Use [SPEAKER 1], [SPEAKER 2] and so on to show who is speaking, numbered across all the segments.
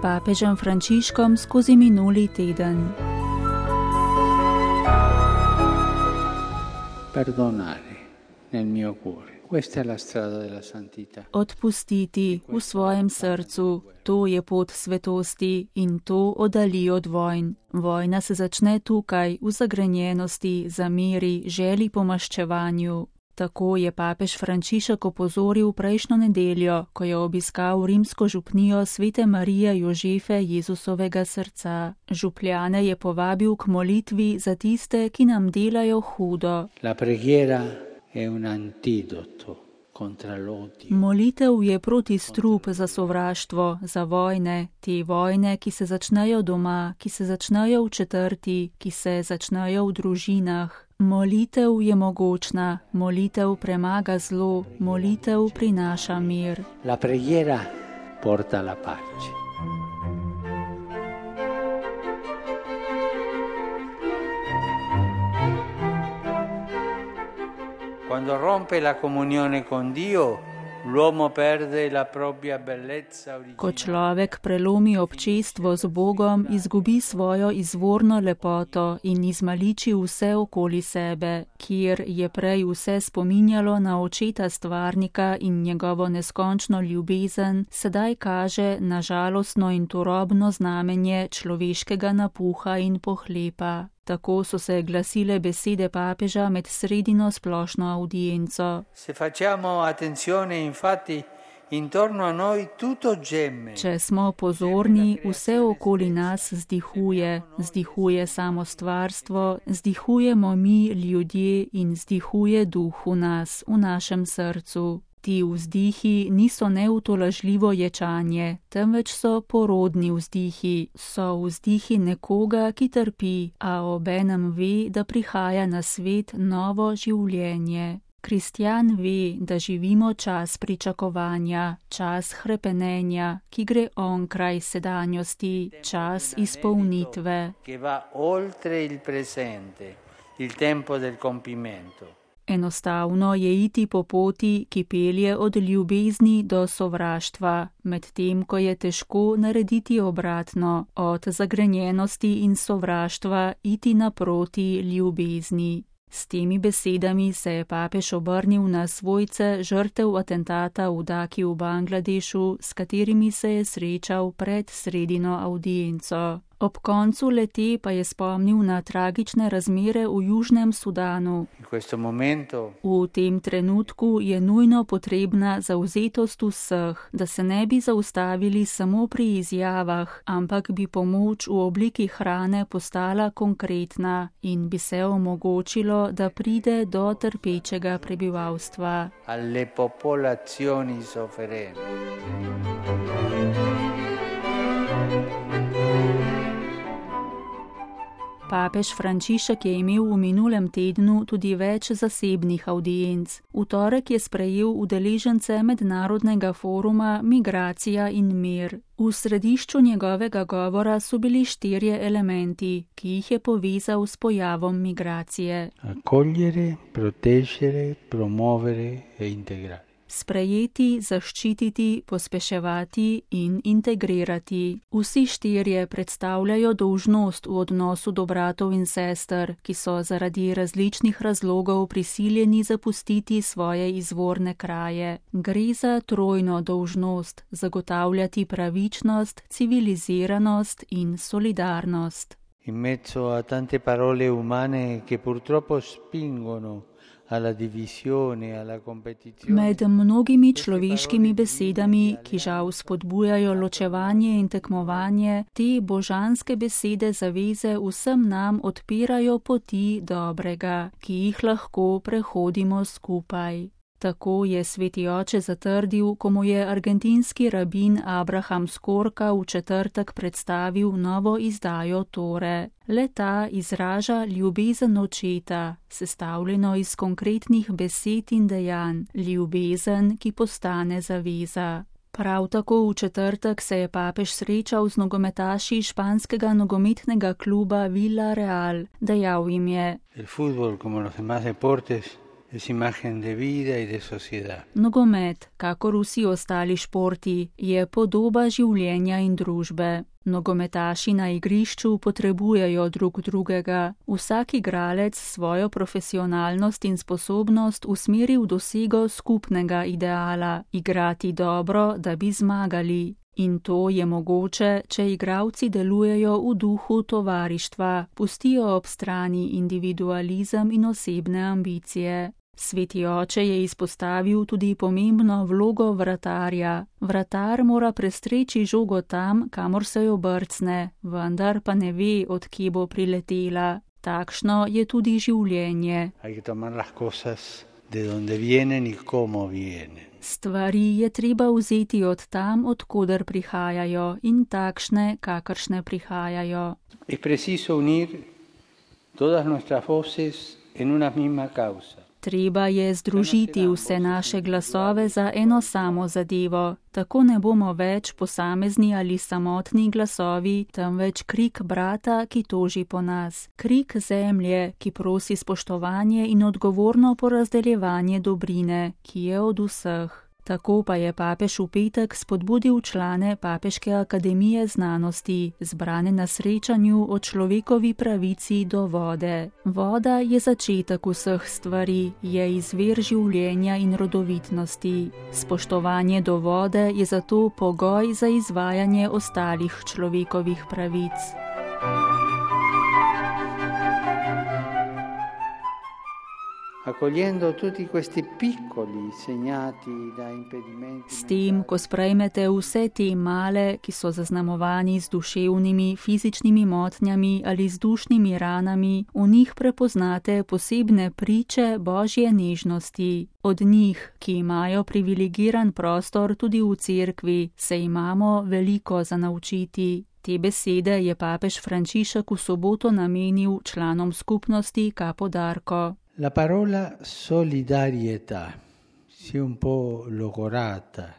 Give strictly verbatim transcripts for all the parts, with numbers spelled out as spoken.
[SPEAKER 1] papežem Frančiškom skozi minuli teden.
[SPEAKER 2] Perdonare nel mio cuore. Questa è la strada della santità.
[SPEAKER 1] Odpustiti v svojem srcu, to je pot svetosti in to oddali od vojn. Vojna se začne tukaj, v zagrenjenosti, zameri, želi po maščevanju. Tako je papež Frančišek opozoril prejšnjo nedeljo, ko je obiskal rimsko župnijo Svete Marije Jožefe Jezusovega srca. Župljane je povabil k molitvi za tiste, ki nam delajo hudo.
[SPEAKER 2] La preghiera è un antidoto contra l'odio.
[SPEAKER 1] Molitev je protistrup za sovraštvo, za vojne, te vojne, ki se začnejo doma, ki se začnejo v četrti, ki se začnejo v družinah. Molitev je mogočna, molitev premaga zlo, molitev prinaša mir.
[SPEAKER 2] La preghiera porta la pace. Quando rompe la comunione con Dio, l'uomo perde la propria bellezza originale.
[SPEAKER 1] Ko človek prelomi občestvo z Bogom, izgubi svojo izvorno lepoto in izmaliči vse okoli sebe, kjer je prej vse spominjalo na očeta stvarnika in njegovo neskončno ljubezen, sedaj kaže na žalostno in turobno znamenje človeškega napuha in pohlepa. Tako so se glasile besede papeža med sredino splošno audienco.
[SPEAKER 2] Se facciamo attenzione, infatti, intorno a noi tutto gemme.
[SPEAKER 1] Če smo pozorni, vse okoli nas zdihuje, zdihuje samo stvarstvo, zdihujemo mi ljudje in zdihuje duh v nas, v našem srcu. Ti vzdihi niso neutolažljivo ječanje, temveč so porodni vzdihi, so vzdihi nekoga, ki trpi, a obenem ve, da prihaja na svet novo življenje. Kristjan ve, da živimo čas pričakovanja, čas hrepenenja, ki gre onkraj sedanjosti, čas izpolnitve.
[SPEAKER 2] Che va oltre il presente, il tempo del compimento.
[SPEAKER 1] Enostavno je iti po poti, ki pelje od ljubezni do sovraštva, medtem ko je težko narediti obratno, od zagrenjenosti in sovraštva iti naproti ljubezni. S temi besedami se je papež obrnil na svojce žrtev atentata v Daki v Bangladešu, s katerimi se je srečal pred sredino audienco. Ob koncu lete pa je spomnil na tragične razmere v Južnem Sudanu. V tem trenutku je nujno potrebna zavzetost vseh, da se ne bi zaustavili samo pri izjavah, ampak bi pomoč v obliki hrane postala konkretna in bi se omogočilo, da pride do trpečega prebivalstva.
[SPEAKER 2] Alle popolazioni sofferenti.
[SPEAKER 1] Papež Frančišek je imel v minulem tednu tudi več zasebnih audienc. V torek je sprejel udeležence mednarodnega foruma Migracija in mir. V središču njegovega govora so bili štirje elementi, ki jih je povezal s pojavom migracije.
[SPEAKER 2] Accogliere, proteggere, promuovere e integrare.
[SPEAKER 1] Sprejeti, zaščititi, pospeševati in integrirati. Vsi štirje predstavljajo dolžnost v odnosu do bratov in sester, ki so zaradi različnih razlogov prisiljeni zapustiti svoje izvorne kraje. Gre za trojno dolžnost zagotavljati pravičnost, civiliziranost in solidarnost.
[SPEAKER 2] In mezzo a tante parole umane che purtroppo spingono
[SPEAKER 1] Med mnogimi človeškimi besedami, ki žal spodbujajo ločevanje in tekmovanje, te božanske besede zaveze vsem nam odpirajo poti dobrega, ki jih lahko prehodimo skupaj. Tako je sveti oče zatrdil, ko mu je argentinski rabin Abraham Skorka v četrtek predstavil novo izdajo Tore. Le-ta izraža ljubezen očeta, sestavljeno iz konkretnih besed in dejanj, ljubezen, ki postane zaveza. Prav tako v četrtek se je papež srečal z nogometaši španskega nogometnega kluba Villarreal. Dejal jim je:
[SPEAKER 2] El fútbol, como los demás deportes, es imagen de vida y de sociedad.
[SPEAKER 1] Nogomet, kakor vsi ostali športi, je podoba življenja in družbe. Nogometaši na igrišču potrebujejo drug drugega. Vsak igralec svojo profesionalnost in sposobnost usmeri v dosego skupnega ideala, igrati dobro, da bi zmagali. In to je mogoče, če igralci delujejo v duhu tovarištva, pustijo ob strani individualizem in osebne ambicije. Sveti oče je izpostavil tudi pomembno vlogo vratarja. Vratar mora prestreči žogo tam, kamor se jo brcne, vendar pa ne ve, od kje bo priletela. Takšno je tudi življenje. Stvari je treba vzeti od tam, od koder prihajajo, in takšne, kakršne prihajajo.
[SPEAKER 2] Es preciso unir todas nuestras voces en una misma causa.
[SPEAKER 1] Treba je združiti vse naše glasove za eno samo zadevo. Tako ne bomo več posamezni ali samotni glasovi, temveč krik brata, ki toži po nas. Krik zemlje, ki prosi spoštovanje in odgovorno porazdeljevanje dobrine, ki je od vseh. Tako pa je papež v petek spodbudil člane Papeške akademije znanosti, zbrane na srečanju o človekovi pravici do vode. Voda je začetek vseh stvari, je izvir življenja in rodovitnosti. Spoštovanje do vode je zato pogoj za izvajanje ostalih človekovih pravic. S tem, ko sprejmete vse te male, ki so zaznamovani z duševnimi, fizičnimi motnjami ali z dušnimi ranami, v njih prepoznate posebne priče Božje nežnosti. Od njih, ki imajo privilegiran prostor tudi v cerkvi, se imamo veliko za naučiti. Te besede je papež Frančišek v soboto namenil članom skupnosti Capo d'Arco.
[SPEAKER 2] La parola solidarietà si è un po' logorata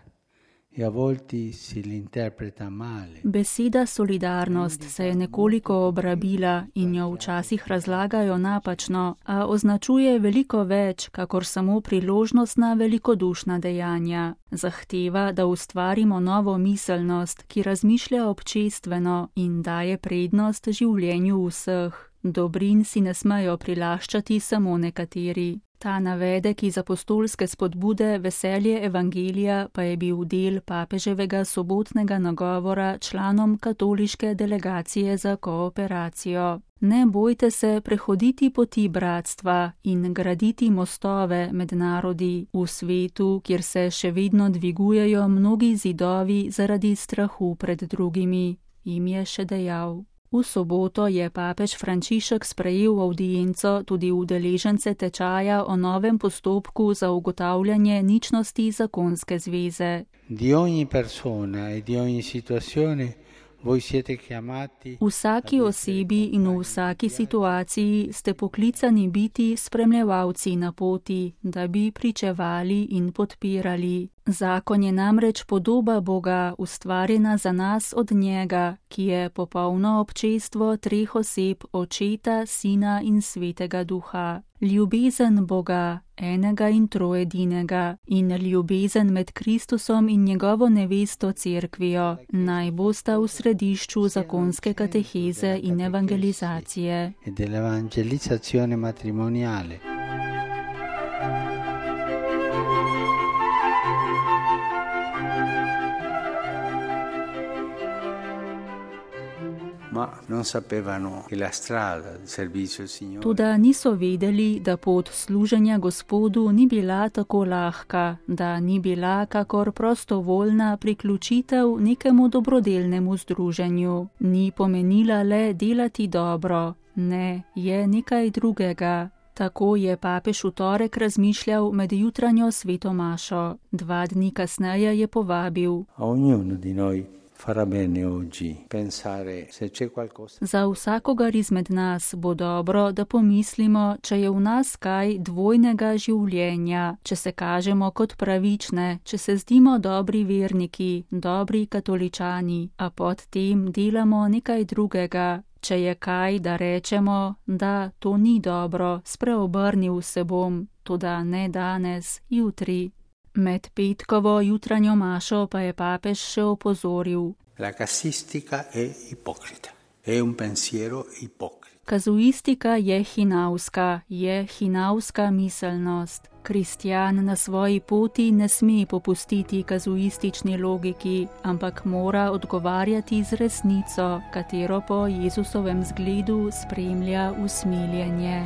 [SPEAKER 2] e a volte si l'interpreta male.
[SPEAKER 1] Beseda solidarnost se je nekoliko obrabila in jo včasih razlagajo napačno, a označuje veliko več, kakor samo priložnostna velikodušna dejanja. Zahteva, da ustvarimo novo miselnost, ki razmišlja občestveno in daje prednost življenju vseh. Dobrin si ne smejo prilaščati samo nekateri. Ta navedek iz apostolske spodbude Veselje evangelija pa je bil del papeževega sobotnega nagovora članom katoliške delegacije za kooperacijo. Ne bojte se prehoditi poti bratstva in graditi mostove med narodi v svetu, kjer se še vedno dvigujejo mnogi zidovi zaradi strahu pred drugimi, jim je še dejal. V soboto je papež Frančišek sprejel avdienco tudi udeležence tečaja o novem postopku za ugotavljanje ničnosti zakonske zveze.
[SPEAKER 2] Di ogni persona e di ogni situazione voi siete chiamati.
[SPEAKER 1] Vsaki osebi in v vsaki situaciji ste poklicani biti spremljevalci na poti, da bi pričevali in podpirali. Zakon je namreč podoba Boga, ustvarjena za nas od njega, ki je popolno občestvo treh oseb, Očeta, Sina in Svetega Duha. Ljubezen Boga, enega in troedinega, in ljubezen med Kristusom in njegovo nevesto cerkvijo, naj bosta v središču zakonske kateheze in evangelizacije. Toda niso vedeli, da pot služenja Gospodu ni bila tako lahka, da ni bila kakor prostovoljna priključitev nekemu dobrodelnemu združenju. Ni pomenila le delati dobro, ne, je nekaj drugega. Tako je papež v torek razmišljal med jutranjo sveto mašo. Dva dni kasneje je povabil. Za vsakogar izmed nas bo dobro, da pomislimo, če je v nas kaj dvojnega življenja, če se kažemo kot pravične, če se zdimo dobri verniki, dobri katoličani, a pod tem delamo nekaj drugega, Če je kaj, da rečemo, da to ni dobro, spreobrnil se bom, toda ne danes, jutri. Med petkovo jutranjo mašo pa je papež še opozoril.
[SPEAKER 2] La casistica è ipocrita, è un pensiero ipocrita.
[SPEAKER 1] Kazuistika je hinavska, je hinavska miselnost. Kristjan na svoji poti ne sme popustiti kazuistični logiki, ampak mora odgovarjati z resnico, katero po Jezusovem zgledu spremlja usmiljenje.